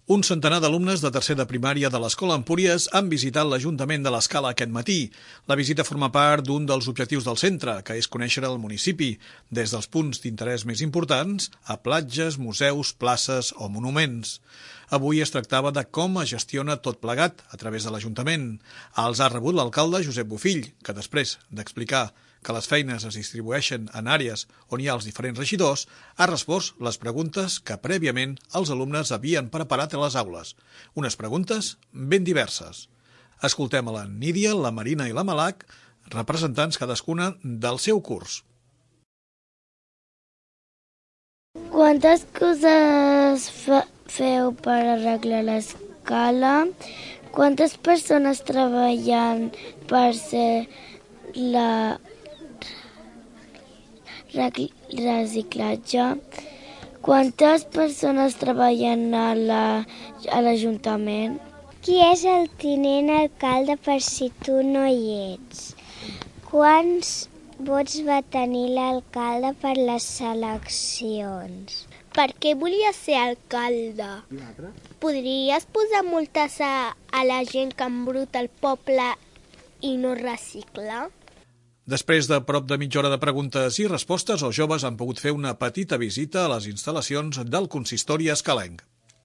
Un centenar d'alumnes de tercer de primària de l'Escola Empúries han visitat l'Ajuntament de l'Escala aquest matí. La visita forma part d'un dels objectius del centre, que és conèixer el municipi, des dels punts d'interès més importants a platges, museus, places o monuments. Avui es tractava de com es gestiona tot plegat a través de l'Ajuntament. Els ha rebut l'alcalde Josep Bofill, que després d'explicar que les feines es distribueixen en àrees on hi ha els diferents regidors, ha respost les preguntes que prèviament els alumnes havien preparat a les aules. Unes preguntes ben diverses. Escoltem a la Nídia, la Marina i la Malac, representants cadascuna del seu curs. Quantes coses feu per arreglar l'escala? Quantes persones treballen per ser reciclatge? Quantes persones treballen a l'Ajuntament? Qui és el tinent alcalde per si tu no hi ets? Quants vots va tenir l'alcalde per les eleccions? Per què volia ser alcalde? Podries posar multes a la gent que embruta el poble i no recicla? Després de prop de mitja hora de preguntes i respostes, els joves han pogut fer una petita visita a les instal·lacions del consistori escalenc.